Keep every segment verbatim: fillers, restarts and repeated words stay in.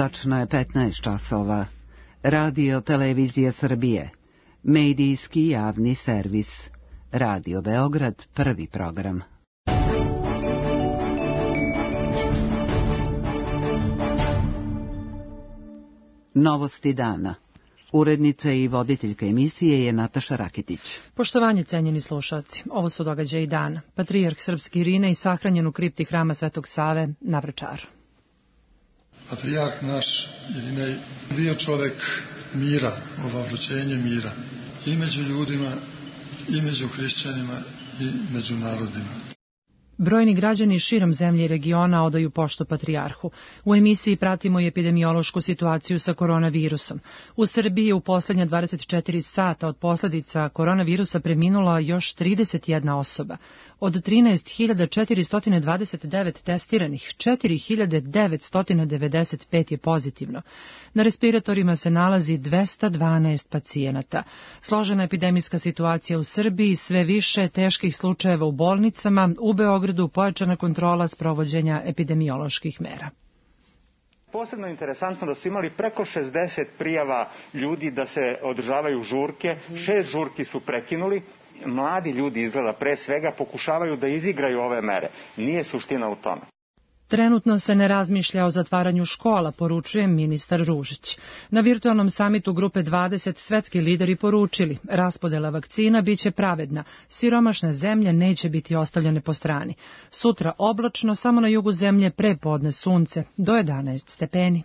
Tačno je petnaest časova. Radio Televizija Srbije. Medijski javni servis. Radio Beograd, prvi program. Novosti dana. Urednica i voditeljka emisije je Nataša Raketić. Poštovanje, cenjeni slušalci. Ovo su događaji dana. Patrijarh srpski Irinej sahranjen u kripti hrama Svetog Save na Vračaru. Patrijarh naš Irinej bio čovek mira, ovavrućenje mira. I među ljudima, i među hrišćanima, i među narodima. Brojni građani širom zemlje i regiona odaju poštu patrijarhu. U emisiji pratimo i epidemiološku situaciju sa koronavirusom. U Srbiji je u poslednja dvadeset četiri sata od posledica koronavirusa preminula još trideset jedna osoba. Od trinaest hiljada četiristo dvadeset devet testiranih, četiri hiljade devetsto devedeset pet je pozitivno. Na respiratorima se nalazi dvesta dvanaest pacijenata. Složena epidemijska situacija u Srbiji, sve više teških slučajeva u bolnicama, u Beogradu pojačana kontrola sprovođenja epidemioloških mera. Posebno interesantno da su imali preko šezdeset prijava ljudi da se održavaju žurke, šest žurki su prekinuli. Mladi ljudi izgleda pre svega pokušavaju da izigraju ove mere. Nije suština u tome. Trenutno se ne razmišlja o zatvaranju škola, poručuje ministar Ružić. Na virtualnom samitu Grupe dvadeset svetski lideri poručili, raspodela vakcina biće pravedna, siromašne zemlje neće biti ostavljene po strani. Sutra oblačno, samo na jugu zemlje prepodne sunce, do jedanaest stepeni.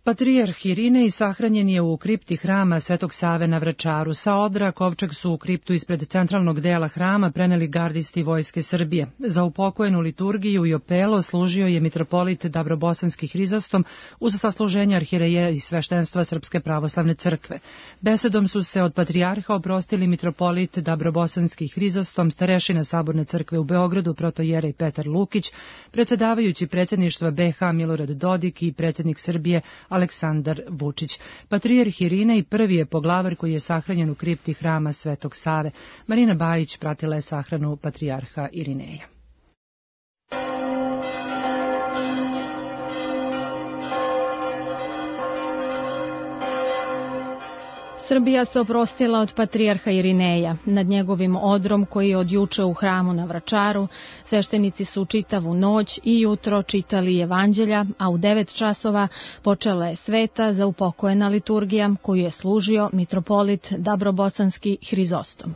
Patrijarh Irinej sahranjen je u kripti hrama Svetog Save na Vračaru. Sa odra kovčeg su u kriptu ispred centralnog dela hrama preneli gardisti Vojske Srbije. Za upokojenu liturgiju i opelo služio je mitropolit Dabrobosanski Hrizostom uz sasluženje arhireja i sveštenstva Srpske pravoslavne crkve. Besedom su se od patrijarha oprostili mitropolit Dabrobosanski Hrizostom, starešina Saborne crkve u Beogradu, protojerej Petar Lukić, predsjedavajući predsjedništva be ha Milorad Dodik i predsjednik Srbije Aleksandar Vučić. Patrijarh Irinej prvi je poglavar koji je sahranjen u kripti hrama Svetog Save. Marina Bajić pratila je sahranu patrijarha Irineja. Srbija se oprostila od patrijarha Irineja. Nad njegovim odrom koji je od juče u hramu na Vračaru, sveštenici su čitavu noć i jutro čitali evanđelja, a u devet časova počela je sveta za upokojena liturgija koju je služio mitropolit Dabrobosanski Hrizostom.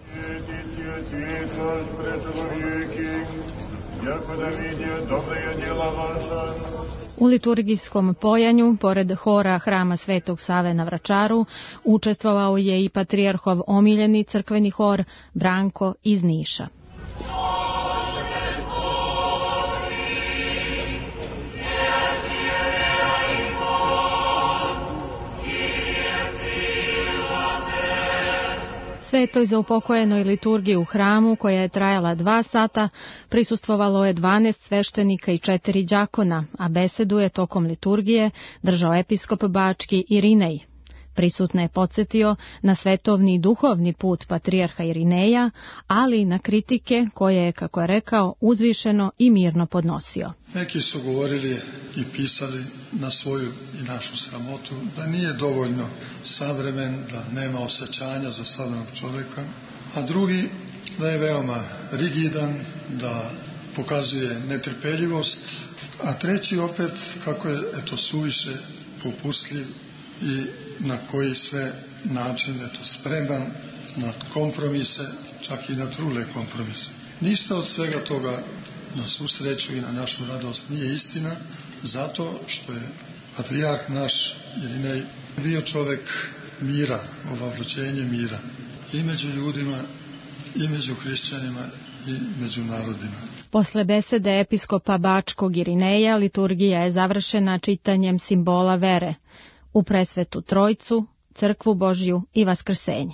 U liturgijskom pojanju, pored hora hrama Svetog Save na Vračaru, učestvovao je i patrijarhov omiljeni crkveni hor Branko iz Niša. Svetoj za upokojenoj liturgiji u hramu, koja je trajala dva sata, prisustvovalo je dvanaest sveštenika i četiri đakona, a besedu je tokom liturgije držao episkop bački Irinej. Prisutne je podsjetio na svetovni i duhovni put patrijarha Irineja, ali i na kritike koje je, kako je rekao, uzvišeno i mirno podnosio. Neki su govorili i pisali na svoju i našu sramotu da nije dovoljno savremen, da nema osjećanja za savremenog čovjeka, a drugi da je veoma rigidan, da pokazuje netrpeljivost, a treći opet kako je eto suviše popustljiv i na koji sve način eto spreman na kompromise, čak i na trule kompromise. Ništa od svega toga na svu sreću i na našu radost nije istina, zato što je patrijarh naš Irinej bio čovek mira, ovavrućenje mira i među ljudima, i među hrišćanima, i među narodima. Posle besede episkopa bačkog Irineja, liturgija je završena čitanjem simbola vere u presvetu Trojcu, crkvu Božju i vaskrsenje.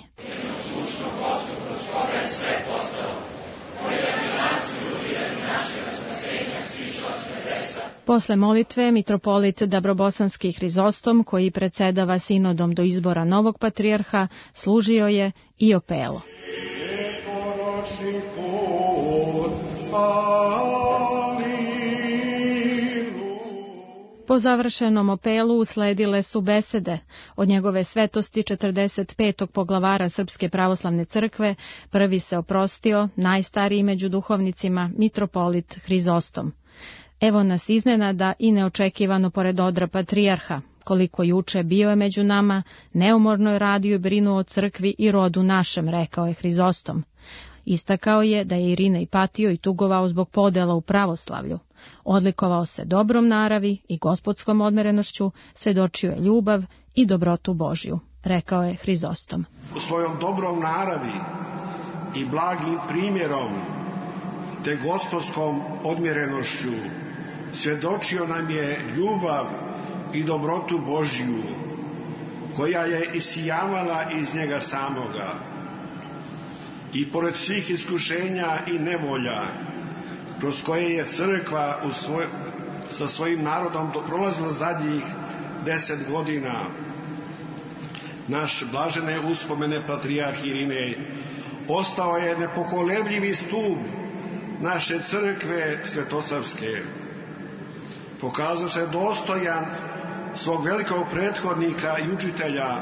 Posle molitve mitropolit Dabrobosanski Hrizostom, koji predsedava sinodom do izbora novog patrijarha, služio je i opelo. Ali Po završenom apelu usledile su besede. Od njegove svetosti četrdeset petog poglavara Srpske pravoslavne crkve prvi se oprostio, najstariji među duhovnicima, mitropolit Hrizostom. Evo nas iznenada i neočekivano pored odra patrijarha. Koliko juče bio je među nama, neumorno je radio i brinuo o crkvi i rodu našem, rekao je Hrizostom. Istakao je da je Irinej patio i tugovao zbog podela u pravoslavlju. Odlikovao se dobrom naravi i gospodskom odmerenošću, svedočio je ljubav i dobrotu Božju, rekao je Hrizostom. U svojom dobrom naravi i blagim primjerom te gospodskom odmjerenošću svjedočio nam je ljubav i dobrotu Božju, koja je isijavala iz njega samoga. I pored svih iskušenja i nevolja, kroz koje je crkva u svoj, sa svojim narodom prolazila zadnjih deset godina, naš blažene uspomene patrijarh Irinej ostao je nepokolebljivi stup naše crkve svetosavske. Pokazao se dostojan svog velikog prethodnika i učitelja,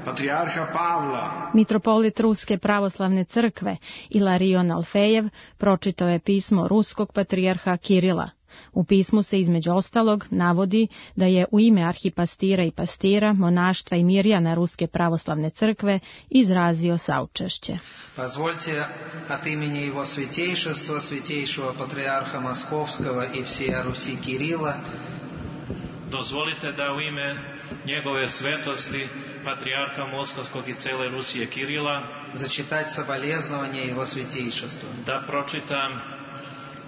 patrijarha Pavla. Mitropolit Ruske pravoslavne crkve Ilarion Alfejev pročitao je pismo ruskog patrijarha Kirila. U pismu se između ostalog navodi da je u ime arhipastira i pastira, monaštva i mirjana Ruske pravoslavne crkve izrazio saučešće. Позвольте от имени его святейшества, святейшего патриарха Московского и всея Руси Кирилла, dozvolite da u ime njegove svetosti, patrijarha Moskovskog i cele Rusije Kirila, зачитать соболезнования его святейшества. Da pročitam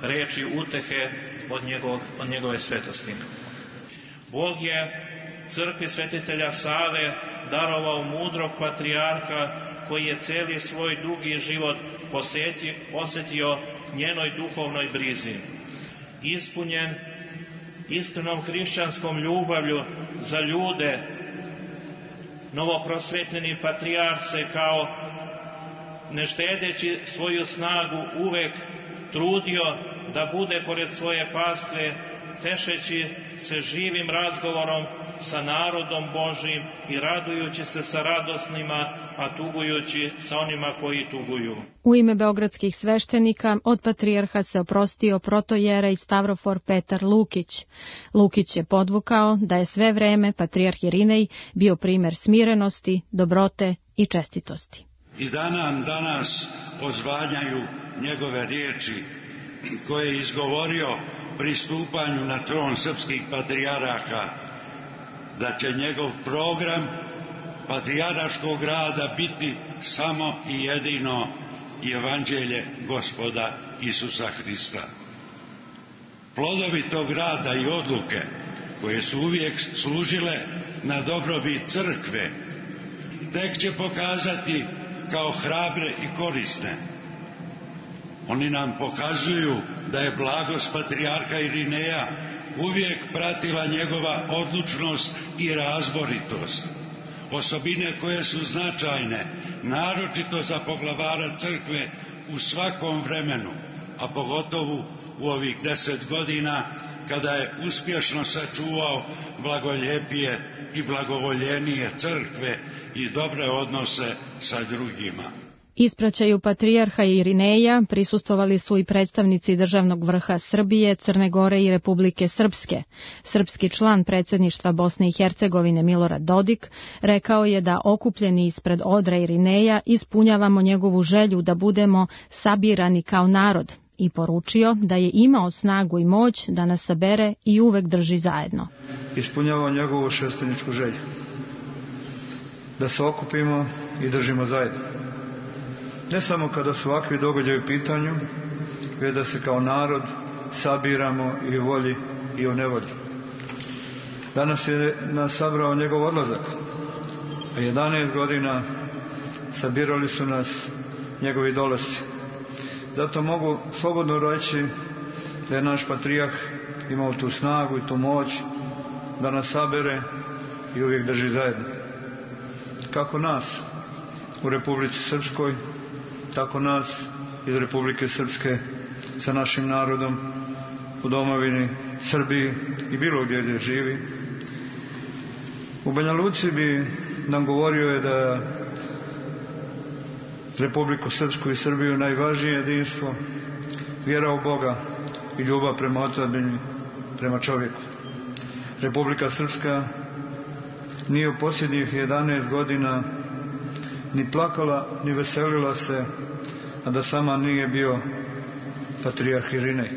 reči utehe od, njegov, od njegove svetosti. Bog je crkvi svetitelja Save darovao mudrog patrijarha koji je cijeli svoj dugi život posjetio, posjetio njenoj duhovnoj brizi. Ispunjen iskrenom hrišćanskom ljubavlju za ljude, novoprosvetljeni patrijarh se kao ne štedeći svoju snagu uvek trudio da bude pored svoje pastve, tešeći se živim razgovorom sa narodom Božim i radujući se sa radosnima, a tugujući sa onima koji tuguju. U ime beogradskih sveštenika od patrijarha se oprostio protojerej Stavrofor Petar Lukić. Lukić je podvukao da je sve vreme patrijarh Irinej bio primer smirenosti, dobrote i čestitosti. I da nam danas odzvanjaju njegove riječi koje je izgovorio pri stupanju na tron srpskih patrijaraka, da će njegov program patrijaraškog rada biti samo i jedino evanđelje Gospoda Isusa Hrista. Plodovi tog rada i odluke koje su uvijek služile na dobrobit crkve tek će pokazati kao hrabre i korisne. Oni nam pokazuju da je blagost patrijarha Irineja uvijek pratila njegova odlučnost i razboritost. Osobine koje su značajne, naročito za poglavara crkve u svakom vremenu, a pogotovo u ovih deset godina kada je uspješno sačuvao blagoljepije i blagovoljenije crkve i dobre odnose sa drugima. Ispraćaju patrijarha Irineja prisustvovali su i predstavnici državnog vrha Srbije, Crne Gore i Republike Srpske. Srpski član predsjedništva Bosne i Hercegovine Milorad Dodik rekao je da okupljeni ispred odra Irineja ispunjavamo njegovu želju da budemo sabirani kao narod i poručio da je imao snagu i moć da nas sabere i uvek drži zajedno. Ispunjavamo njegovu šesteničku želju da se okupimo i držimo zajedno. Ne samo kada su ovakvi događaji u pitanju, već da se kao narod sabiramo i u volji i u nevolji. Danas je nas sabrao njegov odlazak, a jedanaest godina sabirali su nas njegovi dolasci. Zato mogu slobodno reći da je naš patrijarh imao tu snagu i tu moć da nas sabere i uvijek drži zajedno. Kako nas u Republici Srpskoj, tako nas iz Republike Srpske sa našim narodom u domovini Srbiji i bilo gdje gdje živi. U Banja Luci bi nam govorio je da Republiku Srpsku i Srbiju najvažnije jedinstvo, vjera u Boga i ljubav prema otadžbini, prema čovjeku. Republika Srpska nije u posljednjih jedanaest godina ni plakala, ni veselila se, a da sama nije bio patrijarh Irinej.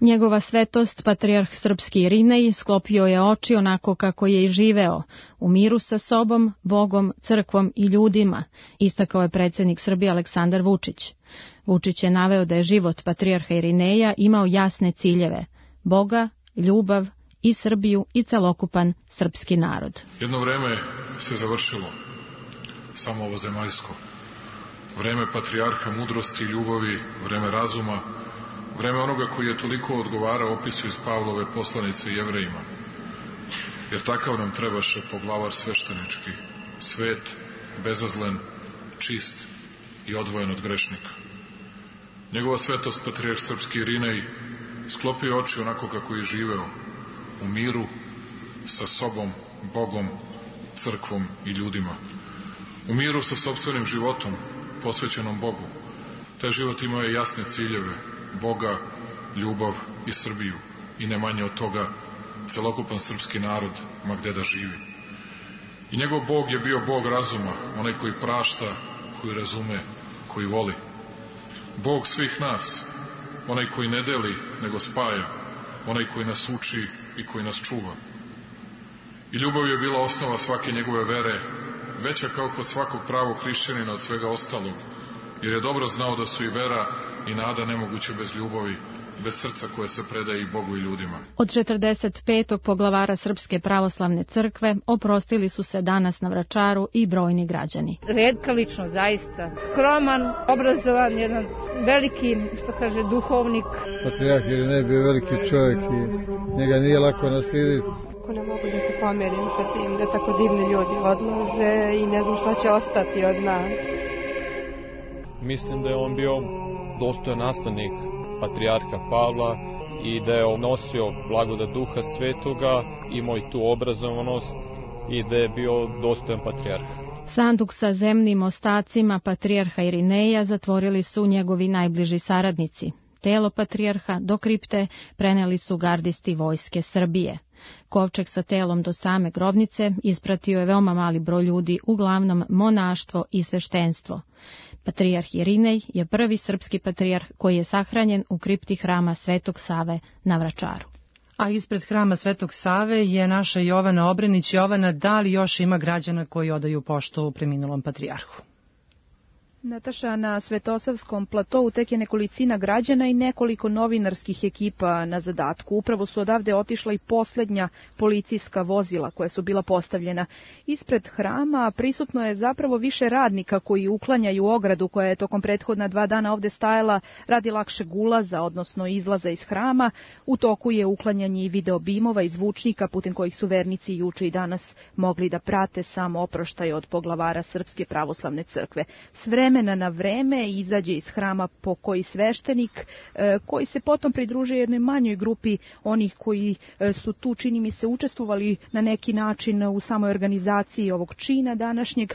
Njegova svetost, patrijarh srpski Irinej, sklopio je oči onako kako je i živeo, u miru sa sobom, Bogom, crkvom i ljudima, istakao je predsjednik Srbije Aleksandar Vučić. Vučić je naveo da je život patrijarha Irineja imao jasne ciljeve, Boga, ljubav i Srbiju i celokupan srpski narod. Jedno vreme se završilo, samo ovo zemaljsko. Vreme patrijarha mudrosti i ljubavi, vreme razuma, vreme onoga koji je toliko odgovarao opisu iz Pavlove poslanice Jevrejima. Jer takav nam trebaše poglavar sveštenički, svet, bezazlen, čist i odvojen od grešnika. Njegova svetost, patrijarh srpski Irinej, sklopio oči onako kako je živeo, u miru, sa sobom, Bogom, crkvom i ljudima. U miru sa sopstvenim životom, posvećenom Bogu. Taj život imao je jasne ciljeve, Boga, ljubav i Srbiju. I ne manje od toga, celokupan srpski narod, ma gde da živi. I njegov Bog je bio Bog razuma, onaj koji prašta, koji razume, koji voli. Bog svih nas, onaj koji ne deli, nego spaja, onaj koji nas uči i koji nas čuva. I ljubav je bila osnova svake njegove vere, veća kao kod svakog pravog hrišćanina od svega ostalog, jer je dobro znao da su i vera i nada nemoguće bez ljubavi, bez srca koje se predaje i Bogu i ljudima. Od četrdeset petog poglavara Srpske pravoslavne crkve oprostili su se danas na Vračaru i brojni građani. Retka ličnost, zaista. Skroman, obrazovan, jedan veliki, što kaže, duhovnik. Patrijarh Irinej bio veliki čovjek i njega nije lako naslijediti. Ako ne mogu da se pomerim sa tim da tako divni ljudi odlaze i ne znam šta će ostati od nas. Mislim da je on bio dostojan naslednik patrijarha Pavla i da je nosio blagodat Duha Svetoga, imao i tu obrazovanost i da je bio dostojan patrijarh. Sanduk sa zemnim ostacima patrijarha Irineja zatvorili su njegovi najbliži saradnici. Telo patrijarha do kripte preneli su gardisti vojske Srbije. Kovčeg sa telom do same grobnice ispratio je veoma mali broj ljudi, uglavnom monaštvo i sveštenstvo. Patrijarh Irinej je prvi srpski patrijarh koji je sahranjen u kripti hrama Svetog Save na Vračaru. A ispred hrama Svetog Save je naša Jovana Obrenić. Jovana, da li još ima građana koji odaju poštu preminulom patrijarhu? Nataša, na Svetosavskom platovu tek je nekolicina građana i nekoliko novinarskih ekipa na zadatku. Upravo su odavde otišla i posljednja policijska vozila koja su bila postavljena. Ispred hrama prisutno je zapravo više radnika koji uklanjaju ogradu koja je tokom prethodna dva dana ovde stajala radi lakšeg ulaza, odnosno izlaza iz hrama. U toku je uklanjanje i videobimova i zvučnika putem kojih su vernici juče i danas mogli da prate sam oproštaj od poglavara Srpske pravoslavne crkve. S vremena na vreme izađe iz hrama po koji sveštenik koji se potom pridružuje jednoj manjoj grupi onih koji su tu, čini mi se, učestvovali na neki način u samoj organizaciji ovog čina današnjeg,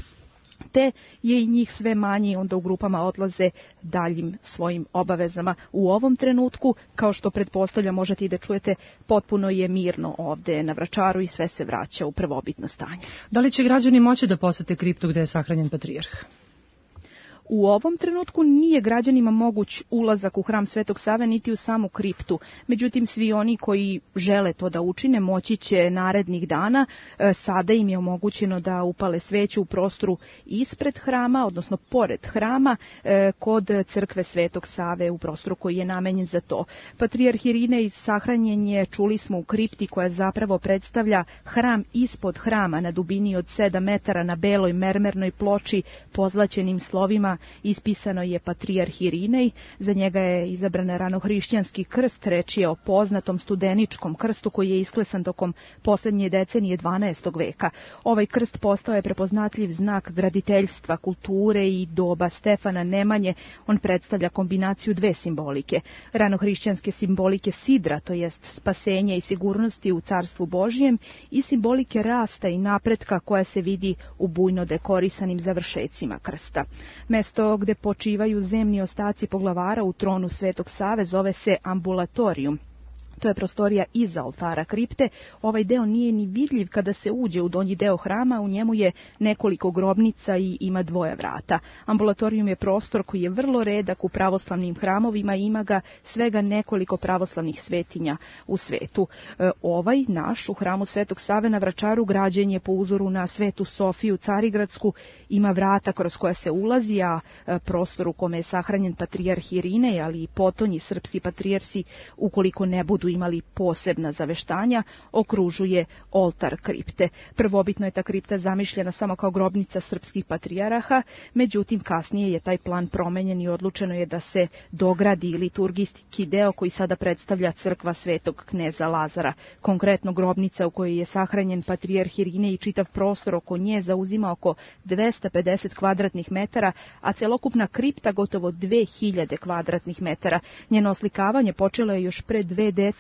te je i njih sve manje, onda u grupama odlaze daljim svojim obavezama. U ovom trenutku, kao što pretpostavljam možete i da čujete, potpuno je mirno ovde na Vračaru i sve se vraća u prvobitno stanje. Da li će građani moći da posete kriptu gde je sahranjen patrijarh? U ovom trenutku nije građanima moguć ulazak u hram Svetog Save niti u samu kriptu. Međutim, svi oni koji žele to da učine moći će narednih dana. Sada im je omogućeno da upale sveću u prostoru ispred hrama, odnosno pored hrama, kod crkve Svetog Save u prostoru koji je namenjen za to. Patrijarh Irinej sahranjen je, čuli smo, u kripti koja zapravo predstavlja hram ispod hrama na dubini od sedam metara na beloj mermernoj ploči pozlaćenim slovima hrama ispisano je patrijarh Irinej, za njega je izabran ranohrišćanski krst, reč je o poznatom studeničkom krstu koji je isklesan tokom poslednje decenije dvanaestog veka. Ovaj krst postao je prepoznatljiv znak graditeljstva, kulture i doba Stefana Nemanje. On predstavlja kombinaciju dve simbolike. Ranohrišćanske simbolike sidra, to jest spasenja i sigurnosti u Carstvu Božjem, i simbolike rasta i napretka koja se vidi u bujno dekorisanim završecima krsta. Mesto gde počivaju zemni ostaci poglavara u tronu Svetog Save zove se ambulatorijum. To je prostorija iza oltara kripte. Ovaj deo nije ni vidljiv kada se uđe u donji deo hrama, u njemu je nekoliko grobnica i ima dvoja vrata. Ambulatorijum je prostor koji je vrlo redak u pravoslavnim hramovima i ima ga svega nekoliko pravoslavnih svetinja u svetu. E, ovaj naš u hramu Svetog Save na Vračaru građen je po uzoru na Svetu Sofiju Carigradsku, ima vrata kroz koja se ulazi, a e, prostor u kome je sahranjen patrijarh Irinej, ali i potonji srpski patrijarsi, ukoliko ne budu imali posebna zaveštanja, okružuje oltar kripte. Prvobitno je ta kripta zamišljena samo kao grobnica srpskih patrijaraha, međutim kasnije je taj plan promenjen i odlučeno je da se dogradi liturgijski deo koji sada predstavlja crkva Svetog kneza Lazara. Konkretno grobnica u kojoj je sahranjen patrijarh Irinej i čitav prostor oko nje zauzima oko dvesta pedeset kvadratnih metara, a celokupna kripta gotovo dve hiljade kvadratnih metara. Njeno oslikavanje počelo je još pre dve decenije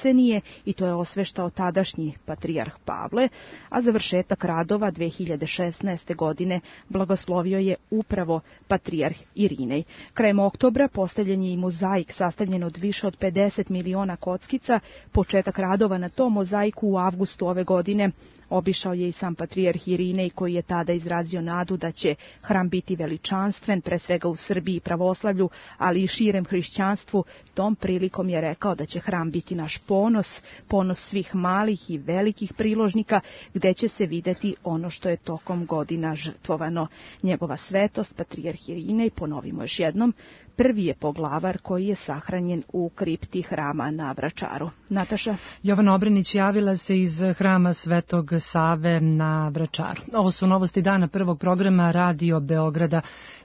i to je osveštao tadašnji patrijarh Pavle, a završetak radova dve hiljade šesnaeste. godine blagoslovio je upravo patrijarh Irinej. Krajem oktobra postavljen je i mozaik sastavljen od više od pedeset miliona kockica. Početak radova na tom mozaiku u avgustu ove godine obišao je i sam patrijarh Irinej, koji je tada izrazio nadu da će hram biti veličanstven, pre svega u Srbiji i pravoslavlju, ali i širem hrišćanstvu. Tom prilikom je rekao da će hram biti naš ponos, ponos svih malih i velikih priložnika, gde će se videti ono što je tokom godina žrtvovano. Njegova svetost, patrijarh Irinej, ponovimo još jednom, prvi je poglavar koji je sahranjen u kripti hrama na Vračaru. Nataša? Jovana Obrenić javila se iz hrama Svetog Save na Vračaru. Ovo su novosti dana prvog programa Radio Beograda.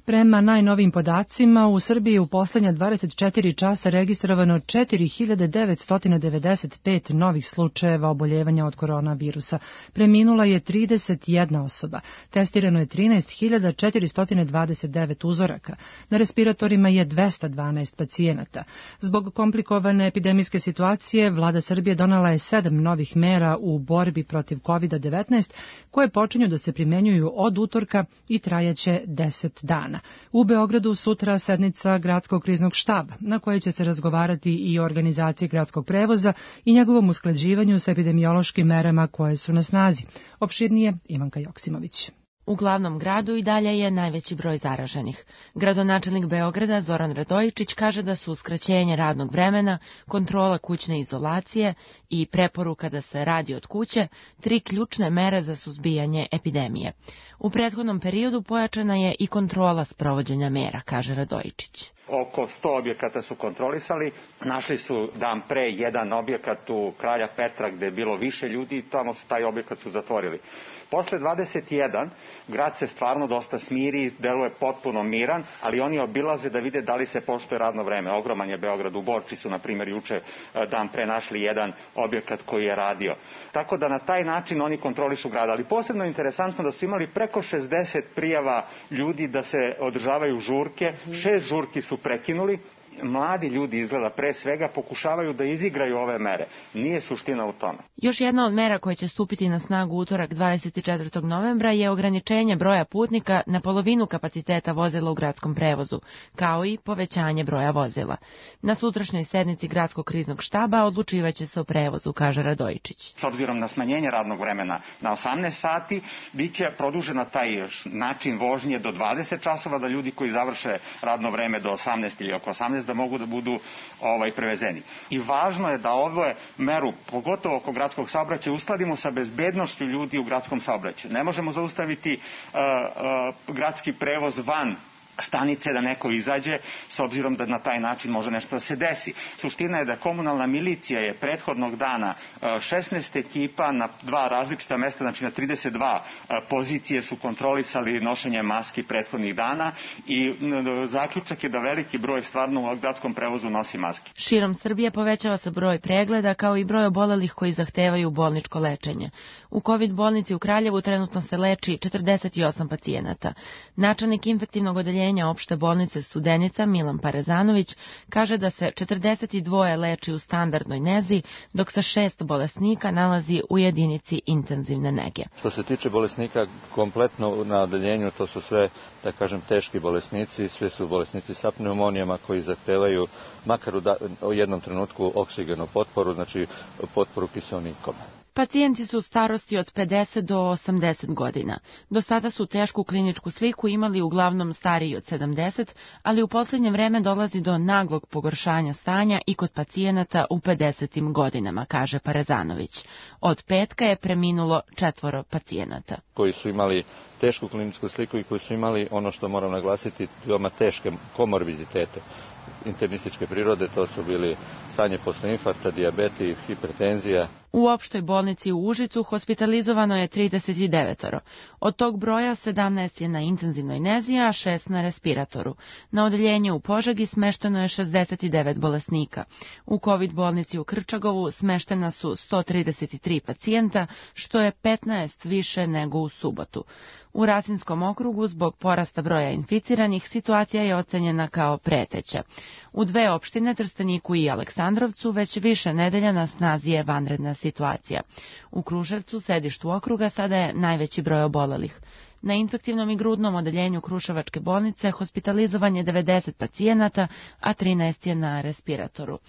Prema najnovijim podacima, u Srbiji u poslednja dvadeset četiri časa registrovano četiri hiljade devetsto devedeset pet novih slučajeva oboljevanja od koronavirusa. Preminula je trideset jedna osoba. Testirano je trinaest hiljada četiristo dvadeset devet uzoraka. Na respiratorima je dvesta dvanaest pacijenata. Zbog komplikovane epidemijske situacije, vlada Srbije donela je sedam novih mera u borbi protiv kovid devetnaest, koje počinju da se primenjuju od utorka i trajaće deset dana. U Beogradu sutra sednica gradskog kriznog štaba, na kojoj će se razgovarati i o organizaciji gradskog prevoza i njegovom usklađivanju sa epidemiološkim merama koje su na snazi. Opširnije Ivanka Joksimović. U glavnom gradu i dalje je najveći broj zaraženih. Gradonačelnik Beograda Zoran Radojičić kaže da su skraćenje radnog vremena, kontrola kućne izolacije i preporuka da se radi od kuće tri ključne mere za suzbijanje epidemije. U prethodnom periodu pojačana je i kontrola sprovođenja mera, kaže Radojičić. Oko sto objekata su kontrolisali, našli su dan pre jedan objekat u Kralja Petra gde je bilo više ljudi i tamo su taj objekat su zatvorili. Posle dvadeset jedan grad se stvarno dosta smiri, deluje potpuno miran, ali oni obilaze da vide da li se poštuje radno vreme. Ogroman je Beograd, u Borči su na primjer juče dan pre našli jedan objekat koji je radio. Tako da na taj način oni kontrolišu grad, ali posebno je interesantno da su imali preko šezdeset prijava ljudi da se održavaju žurke, šest žurki su prekinuli. Mladi ljudi izgleda pre svega pokušavaju da izigraju ove mere. Nije suština u tome. Još jedna od mera koja će stupiti na snagu utorak dvadeset četvrtog novembra je ograničenje broja putnika na polovinu kapaciteta vozila u gradskom prevozu, kao i povećanje broja vozila. Na sutrašnjoj sednici gradskog kriznog štaba odlučivaće se o prevozu, kaže Radojičić. S obzirom na smanjenje radnog vremena na osamnaest sati, bit će produžena taj način vožnje do dvadeset časova, da ljudi koji završe radno vreme do osamnaest ili oko osamnaest da mogu da budu ovaj, prevezeni. I važno je da ovu meru, pogotovo oko gradskog saobraćaja, uskladimo sa bezbednošću ljudi u gradskom saobraćaju. Ne možemo zaustaviti uh, uh, gradski prevoz van stanice da neko izađe, s obzirom da na taj način može nešto da se desi. Suština je da komunalna milicija je prethodnog dana šesnaest ekipa na dva različita mesta, znači na trideset dva pozicije su kontrolisali nošenje maski prethodnih dana i zaključak je da veliki broj stvarno u gradskom prevozu nosi maske. Širom Srbije povećava se broj pregleda kao i broj obolelih koji zahtevaju bolničko lečenje. U COVID bolnici u Kraljevu trenutno se leči četrdeset osam pacijenata. Načelnik infektivnog odeljenja opšte bolnice Studenica Milan Parezanović kaže da se četrdeset dva leči u standardnoj nezi, dok se šest bolesnika nalazi u jedinici intenzivne nege. Što se tiče bolesnika kompletno na odeljenju, to su sve, da kažem, teški bolesnici, sve su bolesnici sa pneumonijama koji zahtevaju makar u, da, u jednom trenutku oksigenu potporu, znači potporu kiseonikom. Pacijenti su starosti od pedeset do osamdeset godina. Do sada su tešku kliničku sliku imali uglavnom stariji od sedamdeset, ali u posljednje vreme dolazi do naglog pogoršanja stanja i kod pacijenata u pedesetim godinama, kaže Parezanović. Od petka je preminulo četvoro pacijenata. Koji su imali tešku kliničku sliku i koji su imali, ono što moram naglasiti, veoma teške komorbiditete internističke prirode, to su bili stanje posle infarkta, dijabeti, hipertenzija. U opštoj bolnici u Užicu hospitalizovano je trideset devet. Od tog broja sedamnaest je na intenzivnoj nezi, a šest na respiratoru. Na odeljenju u Požegi smešteno je šezdeset devet bolesnika. U COVID bolnici u Krčagovu smeštena su sto trideset tri pacijenta, što je petnaest više nego u subotu. U Rasinskom okrugu zbog porasta broja inficiranih situacija je ocenjena kao preteća. U dve opštine, Trsteniku i Aleksandrovcu, već više nedelja na snazi je vanredna situacija. U Kruševcu, sedištu okruga, sada je najveći broj obolelih. Na infektivnom i grudnom odeljenju Kruševačke bolnice hospitalizovan je devedeset pacijenata, a trinaest je na respiratoru.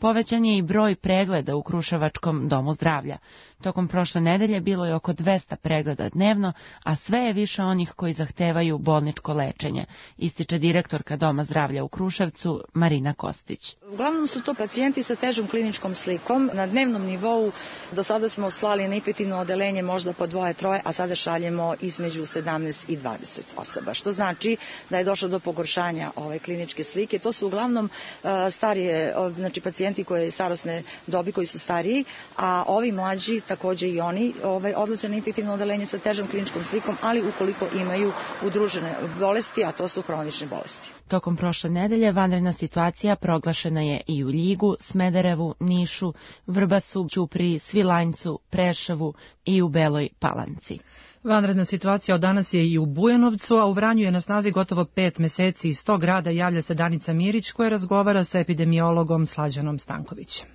Povećan je i broj pregleda u Kruševačkom domu zdravlja. Tokom prošle nedelje bilo je oko dvesta pregleda dnevno, a sve je više onih koji zahtevaju bolničko lečenje, ističe direktorka Doma zdravlja u Kruševcu Marina Kostić. Uglavnom su to pacijenti sa težom kliničkom slikom. Na dnevnom nivou do sada smo slali na infektivno odeljenje možda po dvoje, troje, a sada šaljemo između sedamnaest i dvadeset osoba, što znači da je došlo do pogoršanja ove kliničke slike. To su uglavnom uh, starije, znači pacijenti koje starosne dobi koji su stariji, a ovi mlađi takođe i oni ovaj, odlaze na infektivno odeljenje sa težom kliničkom slikom, ali ukoliko imaju udružene bolesti, a to su hronične bolesti. Tokom prošle nedelje vanredna situacija proglašena je i u Ljigu, Smederevu, Nišu, Vrbasu, Ćupriji, Svilajncu, Preševu i u Beloj Palanci. Vanredna situacija od danas je i u Bujanovcu, a u Vranju je na snazi gotovo pet meseci. Iz tog grada javlja se Danica Mirić koja razgovara sa epidemiologom Slađanom Stankovićem.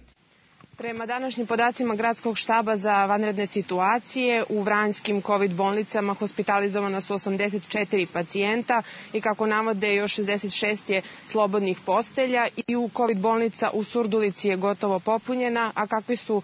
Prema današnjim podacima Gradskog štaba za vanredne situacije, u vranjskim COVID bolnicama hospitalizovana su osamdeset četiri pacijenta i kako navode još šezdeset šest je slobodnih postelja i u COVID bolnica u Surdulici je gotovo popunjena, a kakvi su uh,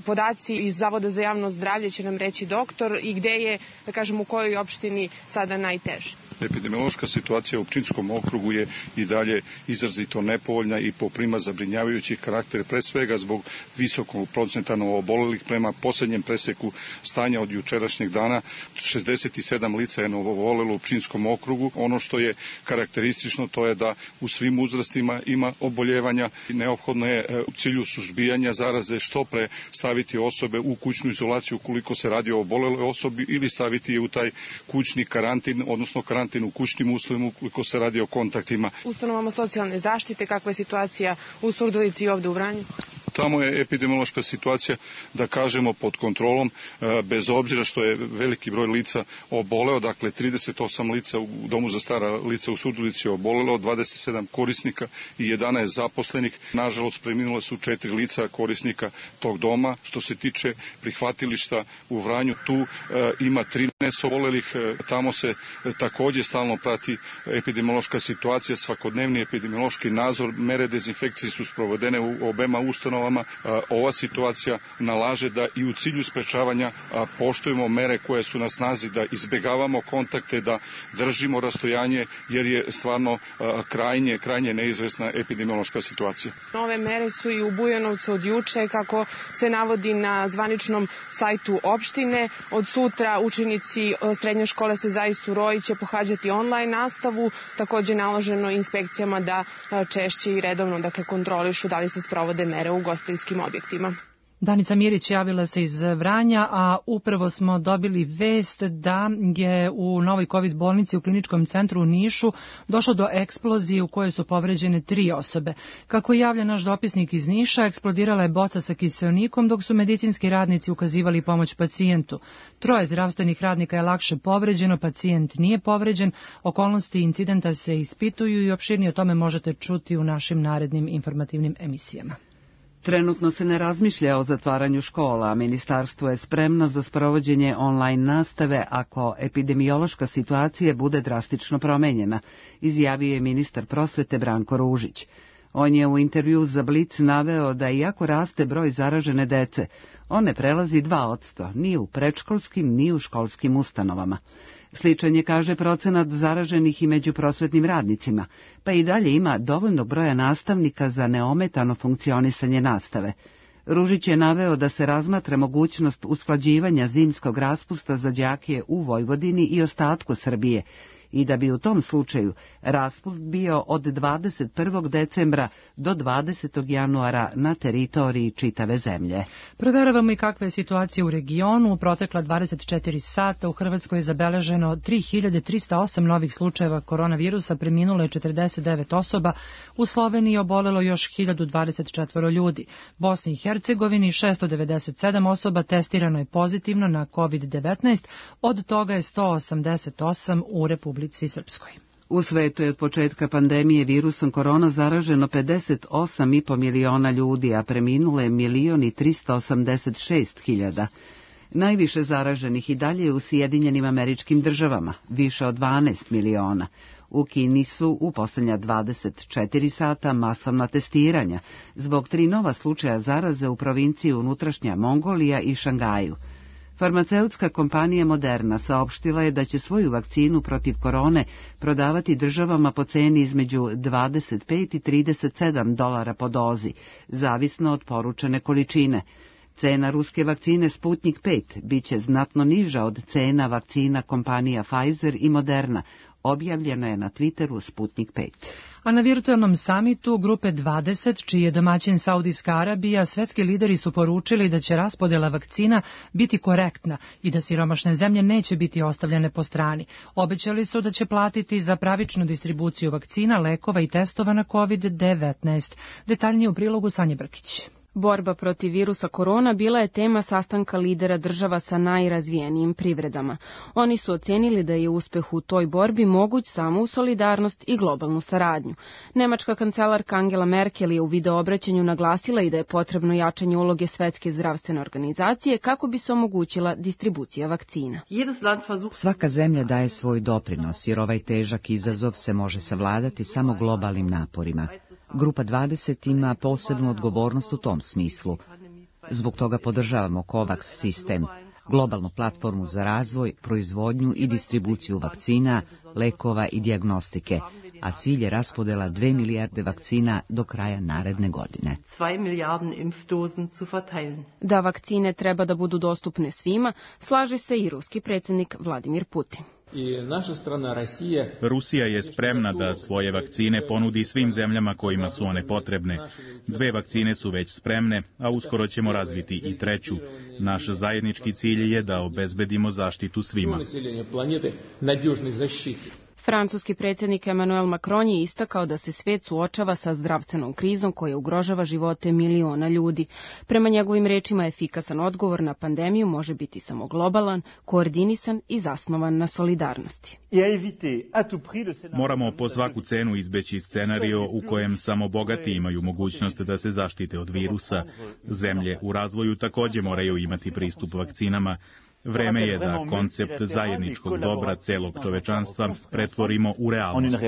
podaci iz Zavoda za javno zdravlje će nam reći doktor i gde je, da kažem, u kojoj opštini sada najteže. Epidemiološka situacija u Pčinjskom okrugu je i dalje izrazito nepovoljna i poprima zabrinjavajući karakter, pre svega zbog visokog procenta novoobolelih. Prema posljednjem preseku stanja od jučerašnjeg dana, šezdeset sedam lica je novoobolelo u Pčinjskom okrugu. Ono što je karakteristično to je da u svim uzrastima ima oboljevanja. Neophodno je u cilju suzbijanja zaraze što pre staviti osobe u kućnu izolaciju ukoliko se radi o oboleloj osobi ili staviti je u taj kućni karantin, odnosno karantin u kućnim uslovima ukoliko se radi o kontaktima. Ustanovama socijalne zaštite, kakva je situacija u Surdulici i ovde u Vranju? Tamo je epidemiološka situacija, da kažemo, pod kontrolom, bez obzira što je veliki broj lica oboleo, dakle trideset osam lica u domu za stara lica u Surdulici je obolelo, dvadeset sedam korisnika i jedanaest zaposlenih. Nažalost, preminula su četiri lica korisnika tog doma. Što se tiče prihvatilišta u Vranju, tu e, ima trinaest obolelih, e, tamo se e, takođe stalno prati epidemiološka situacija, svakodnevni epidemiološki nadzor, mere dezinfekcije su sprovedene u obema ustanova ustanovama. Ova situacija nalaže da i u cilju sprečavanja poštujemo mere koje su na snazi, da izbegavamo kontakte, da držimo rastojanje, jer je stvarno krajnje, krajnje neizvesna epidemiološka situacija. Nove mere su i u Bujanovcu od juče, kako se navodi na zvaničnom sajtu opštine. Od sutra učenici srednje škole Sezai Suroi će pohađati online nastavu. Takođe naloženo inspekcijama da češće i redovno dakle, kontrolišu da li se sprovode mere u ugostiteljskim objektima. Danica Mirić javila se iz Vranja, a upravo smo dobili vest da je u novoj COVID bolnici u kliničkom centru u Nišu došlo do eksplozije u kojoj su povređene tri osobe. Kako javlja naš dopisnik iz Niša, eksplodirala je boca sa kiseonikom dok su medicinski radnici ukazivali pomoć pacijentu. Troje zdravstvenih radnika je lakše povređeno, pacijent nije povređen. Okolnosti incidenta se ispituju i opširnije o tome možete čuti u našim narednim informativnim emisijama. Trenutno se ne razmišlja o zatvaranju škola, a ministarstvo je spremno za sprovođenje online nastave ako epidemiološka situacija bude drastično promenjena, izjavio je ministar prosvete Branko Ružić. On je u intervju za Blic naveo da iako raste broj zaražene dece, on ne prelazi dva posto ni u predškolskim ni u školskim ustanovama. Sličan je, kaže, procenat zaraženih i među prosvetnim radnicima, pa i dalje ima dovoljno broja nastavnika za neometano funkcionisanje nastave. Ružić je naveo da se razmatra mogućnost usklađivanja zimskog raspusta za đake u Vojvodini i ostatku Srbije i da bi u tom slučaju raspust bio od dvadeset prvog decembra do dvadesetog januara na teritoriji čitave zemlje. Proveravamo i kakva je situacija u regionu. U protekla dvadeset četiri sata u Hrvatskoj je zabeleženo tri hiljade trista osam novih slučajeva koronavirusa, preminulo je četrdeset devet osoba, u Sloveniji obolelo još hiljadu dvadeset četiri ljudi. Bosni i Hercegovini šesto devedeset sedam osoba testirano je pozitivno na COVID devetnaest, od toga je sto osamdeset osam u Republici Srpskoj. U svetu je od početka pandemije virusom korona zaraženo pedeset osam i po miliona ljudi, a preminulo je milion i trista osamdeset šest hiljada. Najviše zaraženih i dalje je u Sjedinjenim Američkim Državama, više od dvanaest miliona. U Kini su u posljednja dvadeset četiri sata masovna testiranja, zbog tri nova slučaja zaraze u provinciji unutrašnja Mongolija i Šangaju. Farmaceutska kompanija Moderna saopštila je da će svoju vakcinu protiv korone prodavati državama po ceni između dvadeset pet i trideset sedam dolara po dozi, zavisno od poručene količine. Cena ruske vakcine Sputnik pet biće znatno niža od cena vakcina kompanija Pfizer i Moderna, objavljeno je na Twitteru Sputnik pet. A na virtualnom samitu Grupe dvadeset, čiji je domaćin Saudijska Arabija, svetski lideri su poručili da će raspodela vakcina biti korektna i da siromašne zemlje neće biti ostavljene po strani. Obećali su da će platiti za pravičnu distribuciju vakcina, lekova i testova na COVID devetnaest. Detaljnije u prilogu Sanje Brkić. Borba protiv virusa korona bila je tema sastanka lidera država sa najrazvijenijim privredama. Oni su ocenili da je uspeh u toj borbi moguć samo u solidarnost i globalnu saradnju. Nemačka kancelarka Angela Merkel je u videoobraćanju naglasila i da je potrebno jačanje uloge Svetske zdravstvene organizacije kako bi se omogućila distribucija vakcina. Svaka zemlja daje svoj doprinos, jer ovaj težak izazov se može savladati samo globalnim naporima. Grupa dvadeset ima posebnu odgovornost u tom smislu. Zbog toga podržavamo COVAX sistem, globalnu platformu za razvoj, proizvodnju i distribuciju vakcina, lekova i dijagnostike, a cilj je raspodela dve milijarde vakcina do kraja naredne godine. Da vakcine treba da budu dostupne svima, slaže se i ruski predsjednik Vladimir Putin. Rusija je spremna da svoje vakcine ponudi svim zemljama kojima su one potrebne. Dve vakcine su već spremne, a uskoro ćemo razviti i treću. Naš zajednički cilj je da obezbedimo zaštitu svima. Francuski predsjednik Emmanuel Macron je istakao da se svet suočava sa zdravstvenom krizom koja ugrožava živote miliona ljudi. Prema njegovim rečima, efikasan odgovor na pandemiju može biti samo globalan, koordinisan i zasnovan na solidarnosti. Moramo po svaku cenu izbeći scenario u kojem samo bogati imaju mogućnost da se zaštite od virusa. Zemlje u razvoju također moraju imati pristup vakcinama. Vreme je da koncept zajedničkog dobra celog čovečanstva pretvorimo u realnost.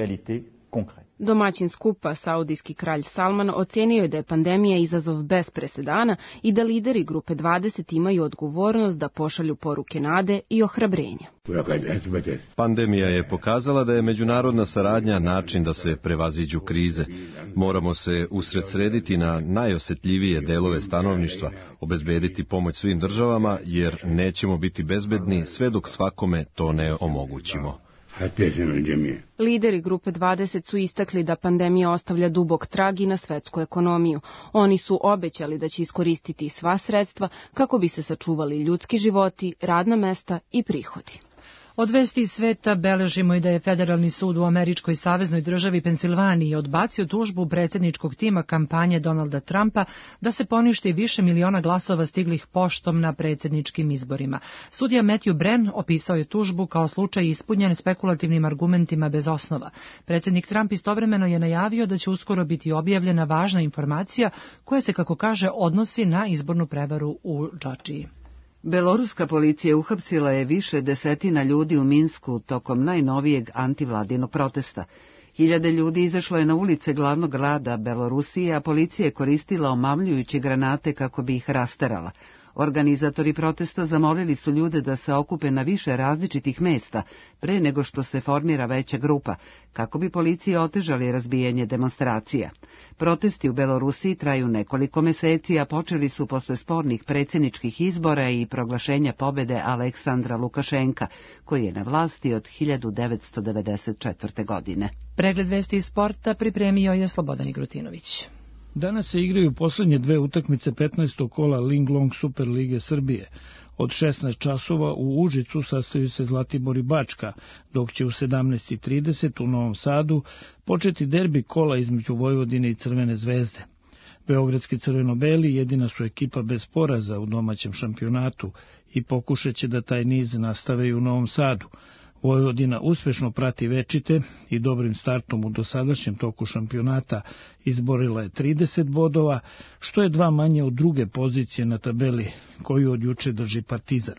Domaćin skupa, saudijski kralj Salman, ocenio je da je pandemija izazov bez presedana i da lideri grupe dvadeset imaju odgovornost da pošalju poruke nade i ohrabrenja. Pandemija je pokazala da je međunarodna saradnja način da se prevaziđu krize. Moramo se usredsrediti na najosjetljivije delove stanovništva, obezbediti pomoć svim državama, jer nećemo biti bezbedni sve dok svakome to ne omogućimo. Lideri grupe dvadeset su istakli da pandemija ostavlja dubok trag i na svetsku ekonomiju. Oni su obećali da će iskoristiti sva sredstva kako bi se sačuvali ljudski životi, radna mesta i prihodi. Od vesti iz sveta beležimo i da je Federalni sud u američkoj saveznoj državi Pensilvaniji odbacio tužbu predsjedničkog tima kampanje Donalda Trumpa da se poništi više miliona glasova stiglih poštom na predsjedničkim izborima. Sudija Matthew Brenn opisao je tužbu kao slučaj ispunjen spekulativnim argumentima bez osnova. Predsjednik Trump istovremeno je najavio da će uskoro biti objavljena važna informacija koja se, kako kaže, odnosi na izbornu prevaru u Džordžiji. Beloruska policija uhapsila je više desetina ljudi u Minsku tokom najnovijeg antivladinog protesta. Hiljade ljudi izašlo je na ulice glavnog grada Belorusije, a policija je koristila omamljujuće granate kako bi ih rasterala. Organizatori protesta zamolili su ljude da se okupe na više različitih mesta pre nego što se formira veća grupa, kako bi policije otežali razbijanje demonstracija. Protesti u Belorusiji traju nekoliko meseci, a počeli su posle spornih predsjedničkih izbora i proglašenja pobede Aleksandra Lukašenka, koji je na vlasti od hiljadu devetsto devedeset četvrte. godine. Pregled vesti iz sporta pripremio je Slobodan Igrutinović. Danas se igraju posljednje dve utakmice petnaestog kola Linglong Super Lige Srbije. Od šesnaest časova u Užicu sastaju se Zlatibor i Bačka, dok će u sedamnaest i trideset u Novom Sadu početi derbi kola između Vojvodine i Crvene zvezde. Beogradski crveno-beli jedina su ekipa bez poraza u domaćem šampionatu i pokušat će da taj niz nastave i u Novom Sadu. Vojvodina uspešno prati večite i dobrim startom u dosadašnjem toku šampionata izborila je trideset bodova, što je dva manje od druge pozicije na tabeli koju od juče drži Partizan.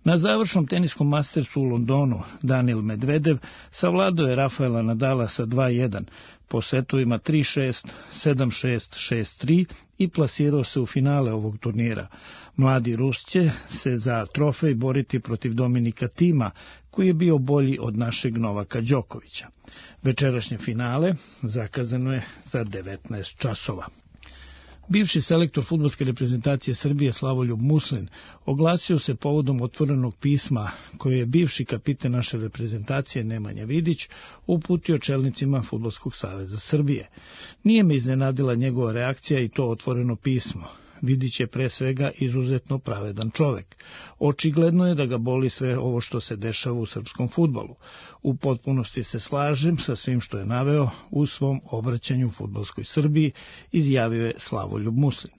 Na završnom teniskom mastersu u Londonu Daniil Medvedev savladao je Rafaela Nadala sa dva jedan, po setovima tri šest, sedam šest, šest tri i plasirao se u finale ovog turnira. Mladi Rus će se za trofej boriti protiv Dominika Tima, koji je bio bolji od našeg Novaka Đokovića. Večerašnje finale zakazano je za devetnaest časova. Bivši selektor fudbalske reprezentacije Srbije Slavoljub Muslin oglasio se povodom otvorenog pisma koje je bivši kapiten naše reprezentacije Nemanja Vidić uputio čelnicima Fudbalskog saveza Srbije. Nije me iznenadila njegova reakcija i to otvoreno pismo. Vidić je pre svega izuzetno pravedan čovek. Očigledno je da ga boli sve ovo što se dešava u srpskom fudbalu. U potpunosti se slažem sa svim što je naveo u svom obraćanju fudbalskoj Srbiji, izjavio je Slavoljub Muslin.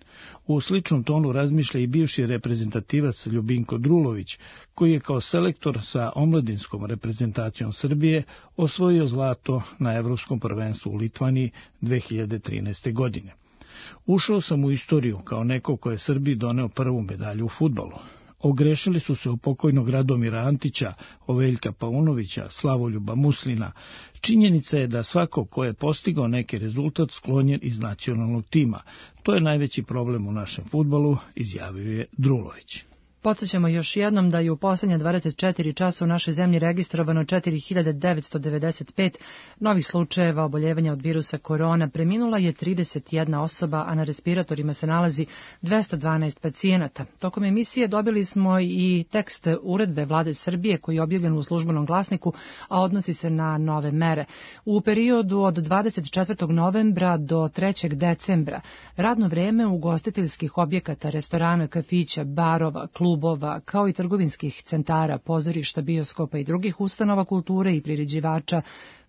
U sličnom tonu razmišlja i bivši reprezentativac Ljubinko Drulović, koji je kao selektor sa omladinskom reprezentacijom Srbije osvojio zlato na Evropskom prvenstvu u Litvaniji dve hiljade trinaeste. godine. Ušao sam u istoriju kao neko ko je Srbiji doneo prvu medalju u fudbalu. Ogrešili su se o pokojnog Radomira Antića, o Veljka Paunovića, Slavoljuba Muslina. Činjenica je da svako ko je postigao neki rezultat sklonjen iz nacionalnog tima. To je najveći problem u našem fudbalu, izjavio je Drulović. Podsjećamo još jednom da je u posljednje dvadeset četiri časa u našoj zemlji registrovano četiri hiljade devetsto devedeset pet novih slučajeva oboljevanja od virusa korona. Preminula je trideset jedna osoba, a na respiratorima se nalazi dvesta dvanaest pacijenata. Tokom emisije dobili smo i tekst uredbe Vlade Srbije koji je objavljen u Službenom glasniku, a odnosi se na nove mere. U periodu od dvadeset četvrtog novembra do trećeg decembra radno vreme ugostiteljskih objekata, restorana, kafića, barova, klubova, kao i trgovinskih centara, pozorišta, bioskopa i drugih ustanova kulture i priređivača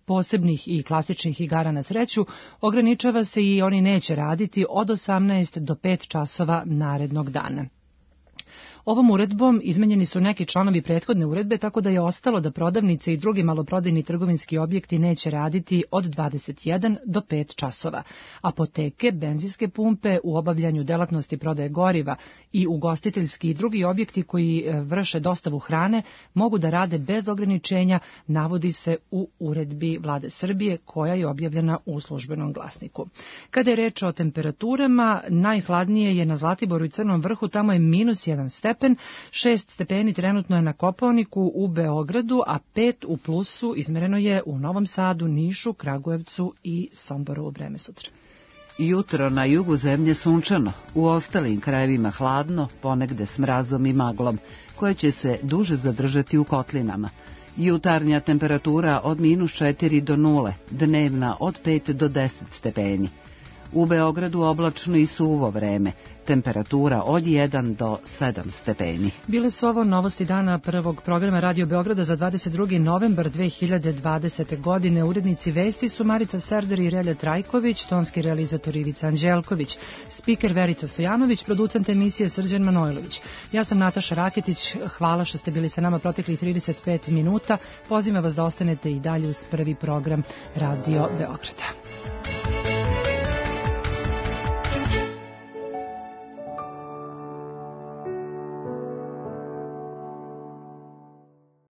posebnih i klasičnih igara na sreću, ograničava se i oni neće raditi od osamnaest do pet časova narednog dana. Ovom uredbom izmenjeni su neki članovi prethodne uredbe, tako da je ostalo da prodavnice i drugi maloprodajni trgovinski objekti neće raditi od dvadeset jedan do pet časova. Apoteke, benzinske pumpe u obavljanju delatnosti prodaje goriva i ugostiteljski i drugi objekti koji vrše dostavu hrane mogu da rade bez ograničenja, navodi se u uredbi Vlade Srbije koja je objavljena u Službenom glasniku. Kada je reč o temperaturama, najhladnije je na Zlatiboru i Crnom Vrhu, tamo je minus jedan stepen, šest stepeni trenutno je na Kopaoniku u Beogradu, a pet u plusu izmereno je u Novom Sadu, Nišu, Kragujevcu i Somboru u vreme sutra. Jutro na jugu zemlje sunčano, u ostalim krajevima hladno, ponegde s mrazom i maglom, koje će se duže zadržati u kotlinama. Jutarnja temperatura od minus četiri do nule, dnevna od pet do deset stepeni. U Beogradu oblačno i suvo vreme, temperatura od jedan do sedam stepeni. Bile su ovo novosti dana prvog programa Radio Beograda za dvadeset drugi novembar dve hiljade dvadesete. godine. Urednici vesti su Marica Serder i Relja Trajković, tonski realizator Ivica Anđelković, spiker Verica Stojanović, producent emisije Srđan Manojlović. Ja sam Nataša Raketić, hvala što ste bili sa nama proteklih trideset pet minuta. Pozivam vas da ostanete i dalje uz prvi program Radio Beograda.